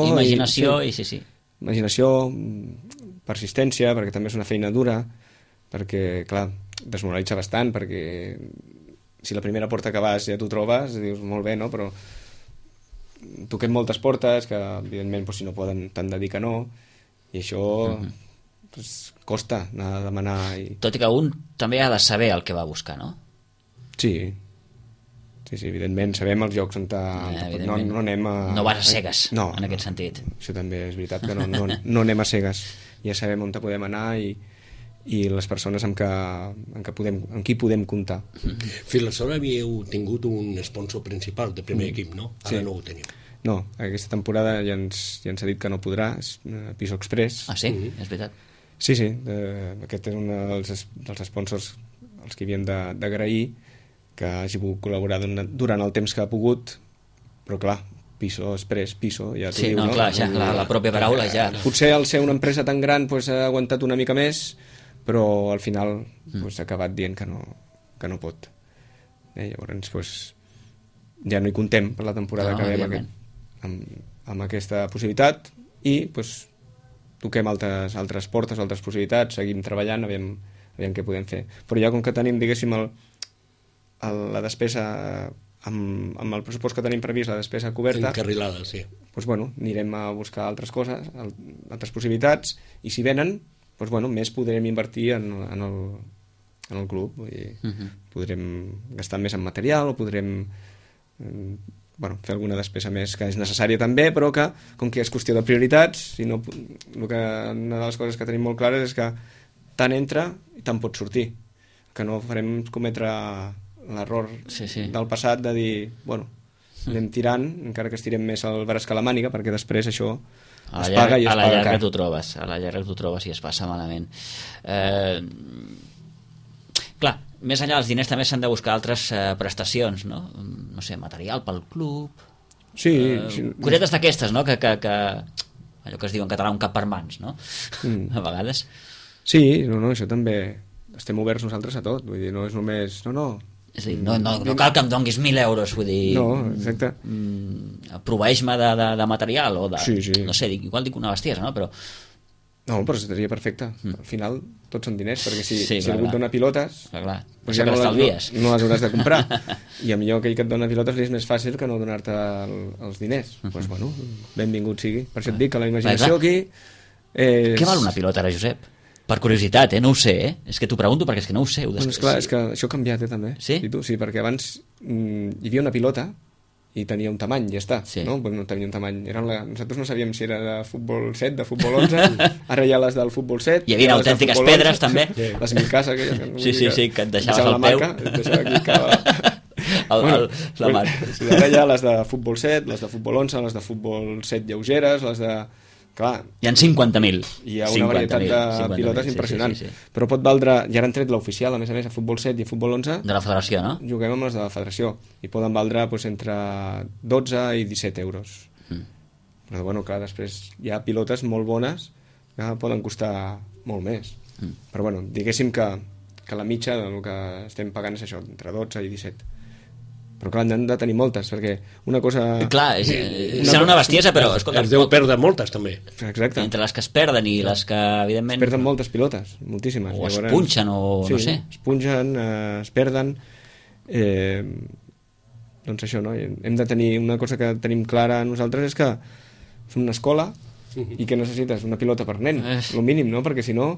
imaginació, persistència, perquè també és una feina dura, perquè, clar, desmoralitza bastant, perquè si la primera porta que vas ja t'ho trobes, dius, molt bé, no? Però toquem moltes portes que, evidentment, si no poden, t'han de dir que no, i això costa anar a demanar... Tot i que un també ha de saber el que va buscar, no? Sí, evidentment, sabem els llocs on no anem a... No vas a cegues, en aquest sentit. Això també és veritat, que no anem a cegues. Ja sabem on podem anar i les persones amb qui podem comptar. Fins aleshores havíeu tingut un sponsor principal de primer equip, no? Ara no ho teniu. No, aquesta temporada ja ens ha dit que no podrà, és Piso Express. Ah, sí? És veritat. Sí, aquest és un dels sponsors als que havíem d'agrair que hagi pogut col·laborar durant el temps que ha pogut, però clar, Piso Express, Piso, ja t'ho diu, no? Clar, ja, la pròpia paraula ja... Potser al ser una empresa tan gran ha aguantat una mica més, però al final ha acabat dient que no pot. Llavors, ja no hi contem per la temporada que ve amb aquesta possibilitat i toquem altres portes, altres possibilitats, seguim treballant, aviam què podem fer. Però ja com que tenim, diguéssim, la despesa amb el pressupost que tenim previst, la despesa coberta, encarrilada, sí. Anirem a buscar altres coses, altres possibilitats, i si venen, més podrem invertir en el club. Podrem gastar més en material, o podrem fer alguna despesa més que és necessària també, però que, com que és qüestió de prioritats, una de les coses que tenim molt clares és que tant entra i tant pot sortir, que no farem cometre l'error del passat de dir, anem tirant, encara que estirem més el braç que la màniga, perquè després això es paga i es paga car. A la llarga t'ho trobes i es passa malament. Clar, més enllà dels diners també s'han de buscar altres prestacions, no? No sé, material pel club... Sí. Cosetes d'aquestes, no? Que allò que es diu en català un cap per mans, no? A vegades. Sí, això també... Estem oberts nosaltres a tot, vull dir, no és només... És a dir, no cal que em donguis 1.000 euros, vull dir... No, exacte. Proveeix-me de material o de... Sí. No sé, igual dic una bestiesa, no? Però... No, però seria perfecte. Al final tots són diners, perquè si clar, algú et dona pilotes, clar. Doncs ja no les hauràs de comprar. I a millor aquell que et dona pilotes li és més fàcil que no donar-te els diners. Doncs bueno, benvingut sigui. Per això et dic que la imaginació aquí... Què val una pilota ara, Josep? Per curiositat, no ho sé, És que t'ho pregunto perquè és que no ho sé. Bueno, esclar, és que això ha canviat, també. Sí? Sí, perquè abans hi havia una pilota i tenia un tamany, ja està. Sí. No? No tenia un tamany. Nosaltres no sabíem si era de futbol 7, de futbol 11, ara hi ha les del futbol 7. Hi havia autèntiques pedres, també. Les Micasa, sí, que et deixaves el peu. Et deixava aquí la marca. Ara hi ha les de futbol 7, les de futbol 11, les de futbol 7 lleugeres, les de... Clar, hi ha 50.000. Hi ha una varietat de pilotes impressionant. Sí. Però pot valdre, ja han tret l'oficial, a més, a futbol 7 i a futbol 11. De la federació, no? Juguem amb les de la federació i poden valdre entre 12 i 17 euros. Però bueno, clar, després hi ha pilotes molt bones que poden costar molt més. Però bueno, diguéssim que la mitja del que estem pagant és això, entre 12 i 17. Però clar, n'han de tenir moltes, perquè una cosa... Clar, serà una bestiesa, però... Escolta, es deu perdre moltes, també. Exacte. Entre les que es perden i les que, evidentment... Es perden moltes pilotes, moltíssimes. O es punxen, o no sé. Es punxen, es perden... Doncs això, no? Hem de tenir una cosa que tenim clara nosaltres, és que som una escola i que necessites una pilota per nen, el mínim, no? Perquè si no,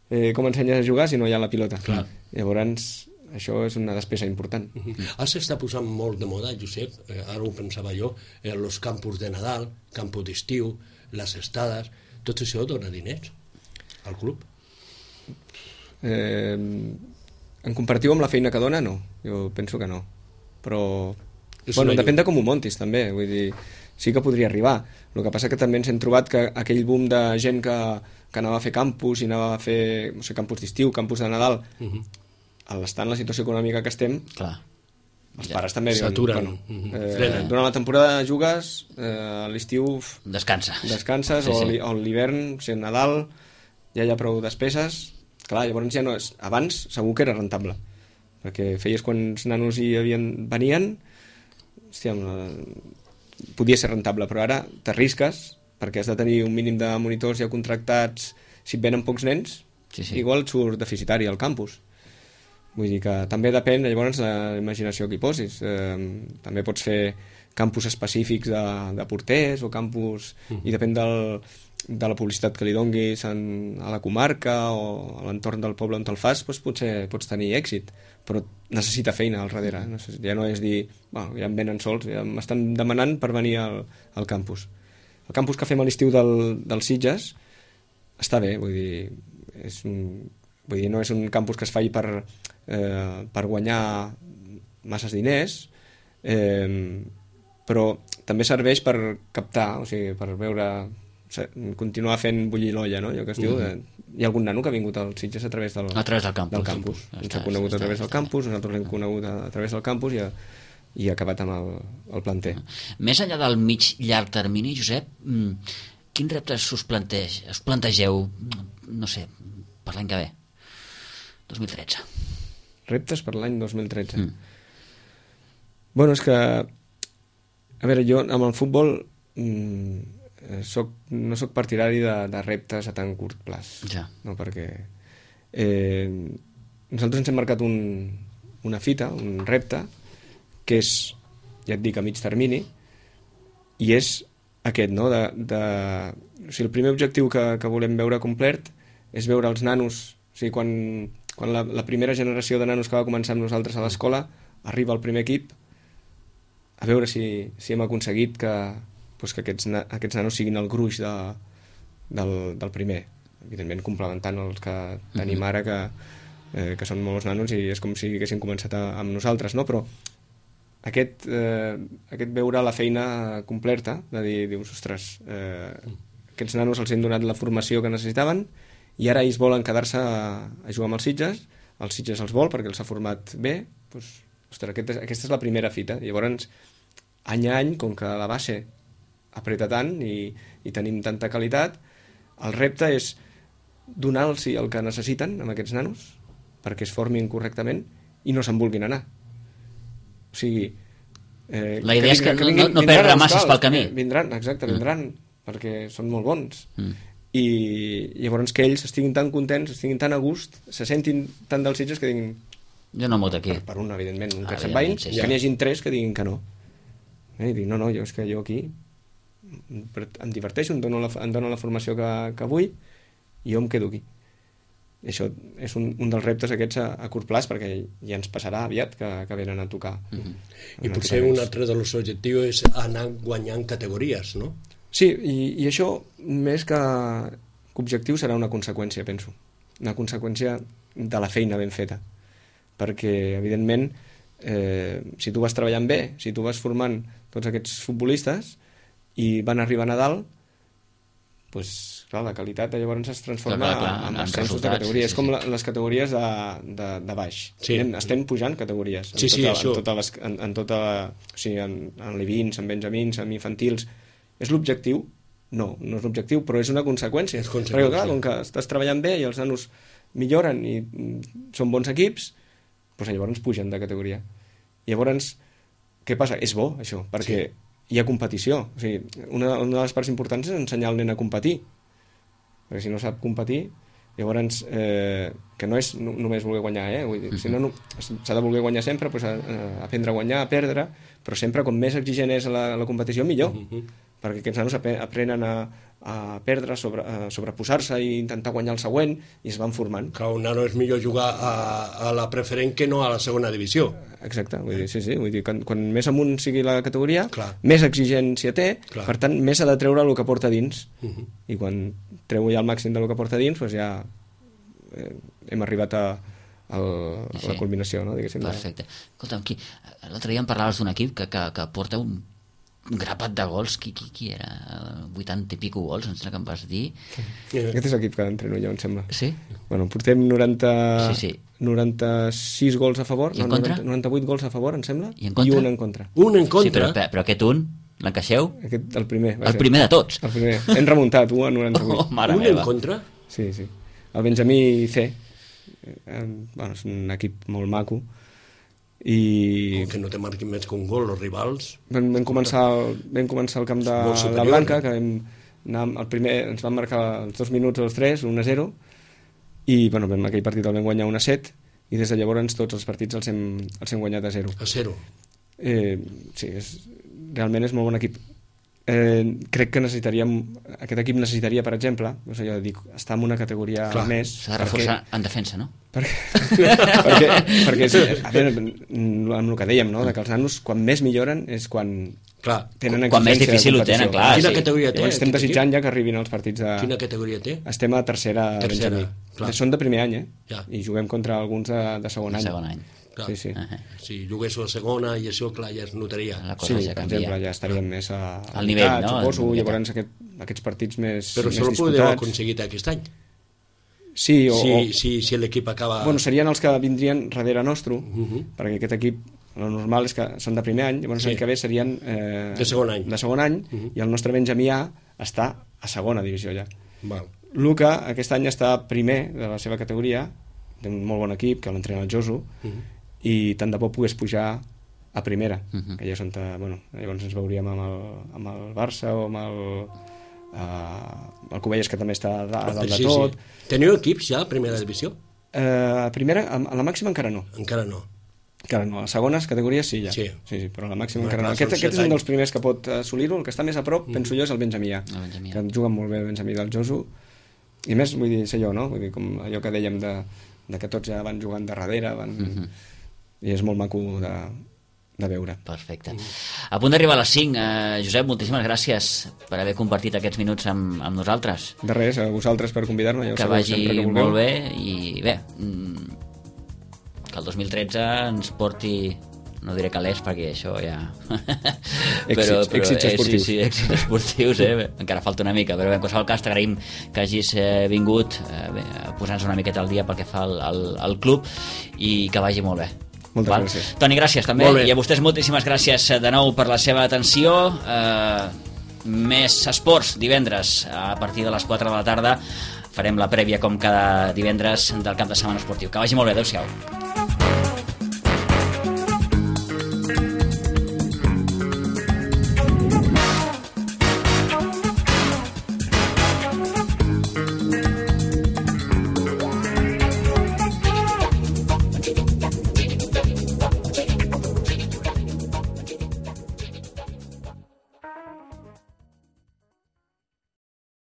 com ensenyes a jugar si no hi ha la pilota? Clar. Llavors... això és una despesa important. Ara s'està posant molt de moda, Josep, ara ho pensava jo, els campus de Nadal, campus d'estiu, les estades, tot això dona diners al club? En comparatiu amb la feina que dona, no. Jo penso que no. Però, bueno, depèn de com ho montis, també. Vull dir, sí que podria arribar. El que passa que també ens hem trobat que aquell boom de gent que anava a fer campus i anava a fer, no sé, campus d'estiu, campus de Nadal... a l'estar en la situació econòmica que estem, clar, els pares també diuen, s'aturen, durant la temporada jugues, a l'estiu descanses, sí. O l'hivern, si és Nadal, ja hi ha prou despeses. Clar, llavors ja no és... Abans segur que era rentable, perquè feies quants nanos hi venien, hòstia, podia ser rentable, però ara t'arrisques, perquè has de tenir un mínim de monitors ja contractats. Si et venen pocs nens, igual et surt deficitari al campus. Vull dir que també depèn, llavors, de la imaginació que hi posis. També pots fer campus específics de porters o campus... I depèn de la publicitat que li donguis a la comarca o a l'entorn del poble on te'l fas, doncs potser pots tenir èxit, però necessita feina al darrere. Ja no és dir, bueno, ja em venen sols, ja m'estan demanant per venir al campus. El campus que fem a l'estiu dels Sitges està bé, vull dir, no és un campus que es faci per guanyar masses diners, però també serveix per captar, o sigui, per veure, continuar fent bullir l'olla, no? Allò que es diu, hi ha algun nano que ha vingut als Sitges a través del campus. Ens ha conegut a través del campus, nosaltres l'hem conegut a través del campus i ha acabat amb el planter. Més enllà del mig-llarg termini, Josep, quins reptes us plantegeu, no sé, per l'any que ve? 2013. Reptes per l'any 2013. Bueno, és que... A veure, jo amb el futbol no soc partidari de reptes a tan curt plaç. Ja. No, perquè nosaltres ens hem marcat una fita, un repte, que és, ja et dic, a mig termini, i és aquest, no? O sigui, el primer objectiu que volem veure complert és veure els nanos, o sigui, quan la primera generació de nanos que va començar amb nosaltres a l'escola arriba al primer equip, a veure si hem aconseguit que aquests nanos siguin el gruix del primer, evidentment complementant els que tenim ara, que són molts nanos i és com si haguessin començat amb nosaltres, no? Però aquest veure la feina completa, de dir, ostres, aquests nanos els hem donat la formació que necessitaven i ara ells volen quedar-se a jugar amb els Sitges els vol perquè els ha format bé, doncs, ostres, aquesta és la primera fita. Llavors, any a any, com que la base apreta tant i tenim tanta qualitat, el repte és donar-los el que necessiten amb aquests nanos perquè es formin correctament i no se'n vulguin anar. O sigui... La idea és que no perdre masses pel camí. Vindran, perquè són molt bons. I llavors que ells estiguin tan contents, estiguin tan a gust, se sentin tan dels Sitges que diguin... Jo no m'ho aquí. Per un, evidentment, un que se'n vagin, que n'hi hagin 3 que diguin que no. I dic, no, és que jo aquí em diverteixo, em dono la formació que vull i jo em quedo aquí. I això és un dels reptes aquests a curt plaç, perquè ja ens passarà aviat que venen a tocar. I potser un altre dels objectius és anar guanyant categories, no? Sí, i això més que objectiu serà una conseqüència, penso. Una conseqüència de la feina ben feta. Perquè, evidentment, si tu vas treballant bé, si tu vas formant tots aquests futbolistes i van arribant a dalt, doncs, clar, la qualitat llavors es transforma en ascensos de categoria. És com les categories de baix. Estem pujant categories en l'I20, en benjamins, en infantils. És l'objectiu? No és l'objectiu, però és una conseqüència. Perquè clar, com que estàs treballant bé i els nanos milloren i són bons equips, doncs llavors pugen de categoria. I llavors, què passa? És bo, això, perquè hi ha competició. O sigui, una de les parts importants és ensenyar al nen a competir. Perquè si no sap competir, llavors, que no és només voler guanyar, vull dir, si no, s'ha de voler guanyar sempre, doncs, aprendre a guanyar, a perdre, però sempre, com més exigent és la competició, millor. Perquè aquests nanos aprenen a perdre, a sobreposar-se i intentar guanyar el següent, i es van formant. Clar, un nano és millor jugar a la preferent que no a la segona divisió. Exacte, vull dir, sí, vull dir, quan més amunt sigui la categoria, més exigència té, per tant, més ha de treure el que porta dins. I quan treu ja el màxim del que porta dins, doncs ja hem arribat a la culminació, no? Perfecte. Escolta'm, l'altre dia em parlaves d'un equip que porta un grapat de gols. Qui era? 80 i pico gols, em sembla que em vas dir. Aquest és l'equip que entreno jo, em sembla. Sí? Bueno, portem 96 gols a favor, 98 gols a favor, em sembla, i un en contra. Un en contra? Sí, però aquest un, l'encaixeu? El primer. El primer de tots? El primer. Hem remuntat, 1 a 98. Un en contra? Sí. El Benjamí C. És un equip molt maco. I que no te marquin més que un gol els rivals. Vam començar al camp de la Blanca, que el primer ens van marcar els 2 minuts o els 3, 1-0, i aquell partit el vam guanyar 1-7, i des de llavors tots els partits els hem guanyat a 0. A 0? Sí, realment és molt bon equip. Crec que aquest equip necessitaria, per exemple, estar en una categoria més. S'ha de reforçar en defensa, no? perquè amb el que dèiem, no? Que els nanos quan més milloren és quan tenen exigència. Quan més difícil ho tenen, clar. Quina categoria té? Estem desitjant ja que arribin els partits de... Quina categoria té? Estem a tercera. Són de primer any, i juguem contra alguns de segon any. Sí. Si juguéssiu a segona i això, clar, ja es notaria. Sí, per exemple, ja estaríem més al nivell, no? Suposo, llavors aquests partits més disputats. Però això ho podeu aconseguir aquest any? Sí, si l'equip acaba... Bueno, serien els que vindrien darrere nostre, perquè aquest equip, el normal és que són de primer any, llavors l'any que ve serien de segon any, i el nostre Benjamí A està a segona divisió ja. Luca aquest any està primer de la seva categoria, té un molt bon equip, que l'entrena el Josu, i tant de bo pogués pujar a primera, que ja són llavors ens veuríem amb el Barça o amb el Cubelles, que també està a dalt de tot. Teniu equips ja a primera divisió? A primera, a la màxima encara no. Encara no, a les segones categories sí, ja. Sí, però a la màxima encara no. Aquest és un dels primers que pot assolir-ho. El que està més a prop, penso jo, és el Benjamí A, que juga molt bé el Benjamí del Josu, i més, vull dir, sé jo, no? Vull dir, com allò que dèiem de que tots ja van jugant de darrere, i és molt maco de veure. Perfecte. A punt d'arribar a les 5, Josep, moltíssimes gràcies per haver compartit aquests minuts amb nosaltres. De res, a vosaltres per convidar-me. Que vagi molt bé, i bé, que el 2013 ens porti, no diré calés perquè això ja... Èxits esportius. Sí, èxits esportius, encara falta una mica, però en qualsevol cas t'agraïm que hagis vingut a posar-nos una miqueta al dia pel que fa al club, i que vagi molt bé. Moltes gràcies. Toni, gràcies també, i a vostès moltíssimes gràcies de nou per la seva atenció. Més esports divendres a partir de les 4 de la tarda. Farem la prèvia com cada divendres del cap de setmana esportiu. Que vagi molt bé, adeu-siau.